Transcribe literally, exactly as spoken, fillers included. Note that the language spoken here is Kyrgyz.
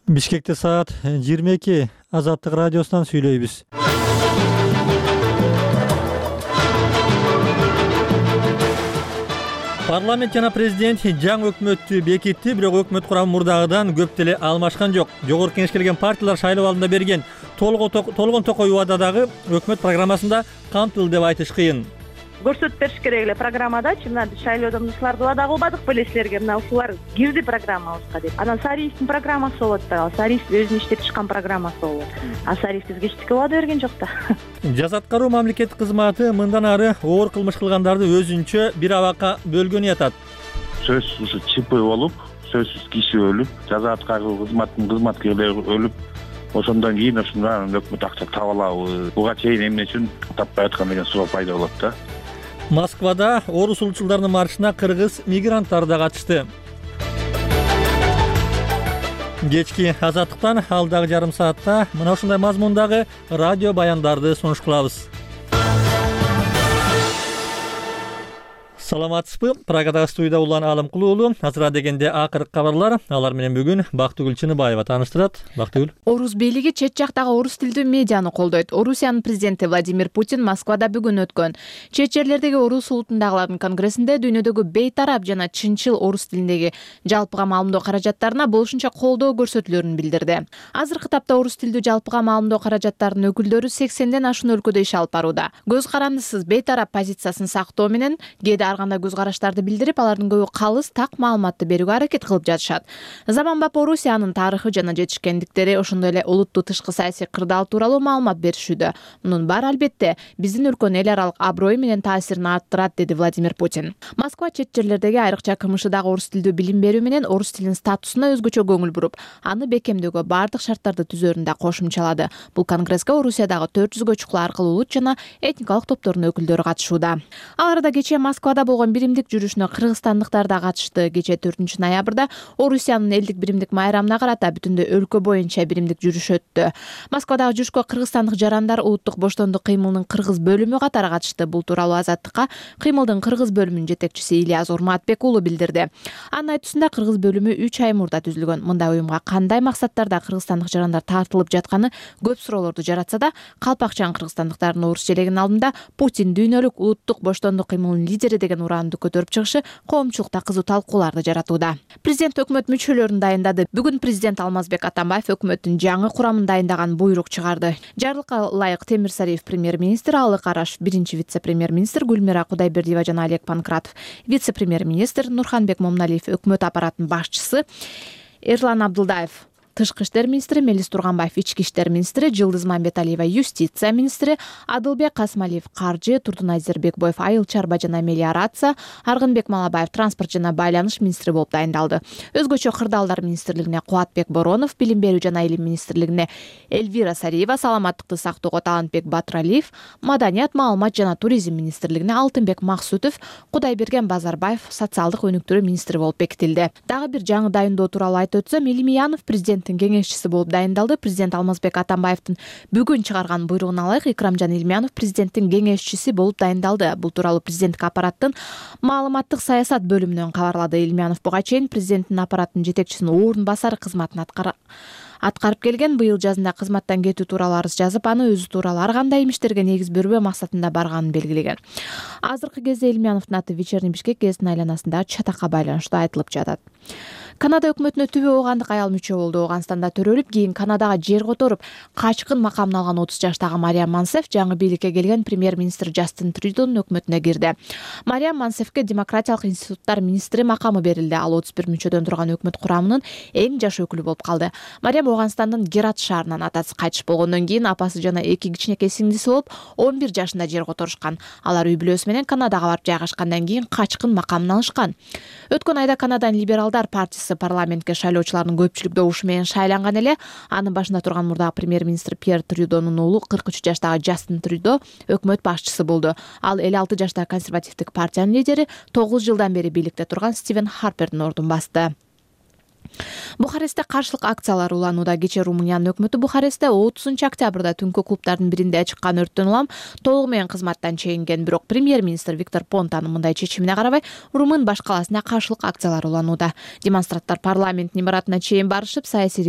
Бишкекте саат жыйырма эки. Азаттык радиосунан сүйлөйбүз. Парламент жана президент жаңы өкмөттү бекитти, бирок өкмөт курамы мурдагыдан көп деле алмашкан жок. Жогорку кеңешке келген партиялар шайлоо алдында берген толгон токой убададагы өкмөт программасында камтылды деп айтыш кыйын. Көрсөтүп бериш керек эле программадачы, мына биз шайлоодон ушуларды убада кылбадык беле силерге, мына ушулар кирди программабызга деп. Анан Сариевдин программасы болот да, Сариев өзүнүн иштеп чыккан программасы болот. А Сариев бизге эчтеке убада берген жок да. Жаза аткаруу мамлекеттик кызматы мындан ары оор кылмыш кылгандарды өзүнчө бир абакка бөлгөнү ятат. Сөзсүз ушу ЧП болуп, сөзсүз киши өлүп, жаза аткаруу кызматынын кызматкерлери өлүп, ошондон кийин ушундан өкмөт акча таба алабы, буга чейин эмне үчүн таппай аткан деген суроо пайда болот да. Москвада орус улутчулдарынын маршына кыргыз мигранттары да катышты. Кечки азаттыктан алдагы жарым саатта мына ушундай мазмундагы радио баяндарды сунуш кылабыз. Саламатсызбы? Прагадагы студияда Улан Алымкулуу уулу. Азыра дегенде акыркы кабарлар. Алар менен бүгүн Бактыгүл Чыныбаева тааныштырат. Бактыгүл. Орус бийлиги чет жактагы орус тилдүү медианы колдойт. Орусиянын президенти Владимир Путин Москвада бүгүн өткөн чет жерлердеги орус улутундагылардын конгрессинде дүйнөдөгү бейтарап жана чынчыл орус тилиндеги жалпыга маалымдоо каражаттарына болушунча колдоо көрсөтүлөрүн билдирди. Азыркы тапта орус тилдүү жалпыга маалымдоо каражаттарынын өкүлдөрү сексенден ашуун өлкөдө иш алып барууда. Көз карандысыз бейтарап позициясын сактоо менен кээде кандай көз караштарды билдирип, алардын көбү калыс так маалыматты берүүгө аракет кылып жатышат. Заманбап Орусиянын тарыхы жана жетишкендиктери, ошондой эле улуттуу тышкы саясий кырдаал тууралуу маалымат беришүүдө. Мунун баары албетте биздин өлкөнүн эл аралык аброю менен таасирин арттырат, деди Владимир Путин. Москва чет жерлердеги айрыкча КМШдагы орус тилдүү билим берүү менен орус тилинин статусуна өзгөчө көңүл буруп, аны бекемдөөгө баардык шарттарды түзөөрүн да кошумчалады. Бул конгресске Орусиядагы төрт жүзгө чукул аркылуу улут жана этникалык топтордун өкүлдөрү катышууда. Ал арада кечээ Москвада болгон биримдик жүрүшүнө кыргызстандыктар да катышты. Кечээ төртүнчү ноябрда Орусиянын элдик биримдик майрамына карата бүтүндөй өлкө боюнча биримдик жүрүш өттү. Москвадагы жүрүшкө кыргызстандык жарандар улуттук боштондук кыймылынын кыргыз бөлүмү катары катышты. Бул тууралуу Азаттыкка кыймылдын кыргыз бөлүмүнүн жетекчиси Ильяз Урматбек уулу билдирди. Анын айтуусунда кыргыз бөлүмү үч ай мурда түзүлгөн. Мындай уюмга кандай максаттарда кыргызстандык жарандар тартылып жатканы көп суроолорду жаратса да, калпакчан кыргызстандыктардын орус желегинин алдында Путин дүйнөлүк улуттук боштондук кыймылынын лидери деген ураанды көтөрүп чыгышы коомчулукта кызуу талкууларды жаратууда. Президент өкмөт мүчөлөрүн дайындады. Бүгүн президент Алмазбек Атамбаев өкмөттүн жаңы курамын дайындаган буйрук чыгарды. Жарлыкка ылайык Темир Сариев премьер-министр, Алык Араш биринчи вице-премьер-министр, Гүлмира Кудайбердиева жана Олег Панкратов вице-премьер-министр, Нурханбек Момуналиев өкмөт аппаратынын башчысы, Эрлан Абдылдаев Тышкы иштер министри, Мелис Турганбаев ички иштер министри, Жылдыз Мамбеталиева юстиция министри, Адылбек Касымалиев каржы, Турдунай Зербекбоев айыл чарба жана мелиорация, Аргынбек Малабаев транспорт жана байланыш министри болуп дайындалды. Өзгөчө кырдаалдар министрлигине Кубатбек Боронов, билим берүү жана илим министрлигине Эльвира Сариева, саламаттыкты сактоого Талантбек Батыралиев, маданият, маалымат жана туризм министрлигине Алтынбек Максутов, Кудайберген Базарбаев социалдык өнүктүрүү министри болуп бекитилди. Дагы бир жаңы дайындоо тууралуу айтып өтсөм, Илимиянов президент кеңешчиси болуп дайындалды. Президент Алмазбек Атамбаевдин бүгүн чыгарган буйругуна ылайык Икрамжан Илимянов президенттин кеңешчиси болуп дайындалды. Бул тууралуу президенттик аппараттын маалыматтык саясат бөлүмүнөн кабарлады. Илимянов буга чейин президенттин аппараттын жетекчисинин орун басары кызматын аткарып келген. Быйыл жазында кызматтан кетүү тууралуу арыз жазып, аны өзү тууралуу ар кандай имиштерге негиз бербөө максатында барганын белгилеген. Азыркы кезде Илимяновдун аты Вечерний Бишкек гезитинин айланасындагы чатакка байланыштуу айтылып жатат. Канада өкмөтүнө түбө оогандык аял мүчө болду. Ооганстанда төрөлүп, кийин Канадага жер которуп, качкын макамын алган отуз жаштагы Мариам Мансеф жаңы бийликке келген премьер-министр Джастин Трюдонун өкмөтүнө кирди. Мариам Мансефке демократиялык институттар министри макамы берилди. Ал отуз бир мүчөдөн турган өкмөт курамынын эң жаш өкүлү болуп калды. Мариам Ооганстандын Герат шаарынан атасы кайтыш болгондон кийин апасы жана эки кичинекей сиңдиси болуп он бир жашында жер которушкан. Алар үй бүлөсү менен Канадага барып жайгашкандан кийин качкын макамын алышкан. Өткөн айда Канаданын либералдар партиясы парламентке шайлоочулардын көпчүлүк добушу менен шайланган эле. Анын башында турган мурдагы премьер-министр Пьер Трюдонун уулу кырк үч жаштагы Джастин Трюдо өкмөт башчысы болду. Ал элүү алты жаштагы консервативдик партиянын лидери, тогуз жылдан бери бийликте турган Стивен Харпердин ордун басты. Бухарестте каршылык акциялар уланууда. Кечээ Румыниянын өкмөтү Бухарестте отузунчу октябрда түнкү клубдардын биринде чыккан өрттөн улам толугу менен кызматтан чегинген. Бирок премьер-министр Виктор Понтанын мындай чечимине карабай, румын баш калаасына каршылык акциялар уланууда. Демонстранттар парламенттин имаратына чейин барышып, саясий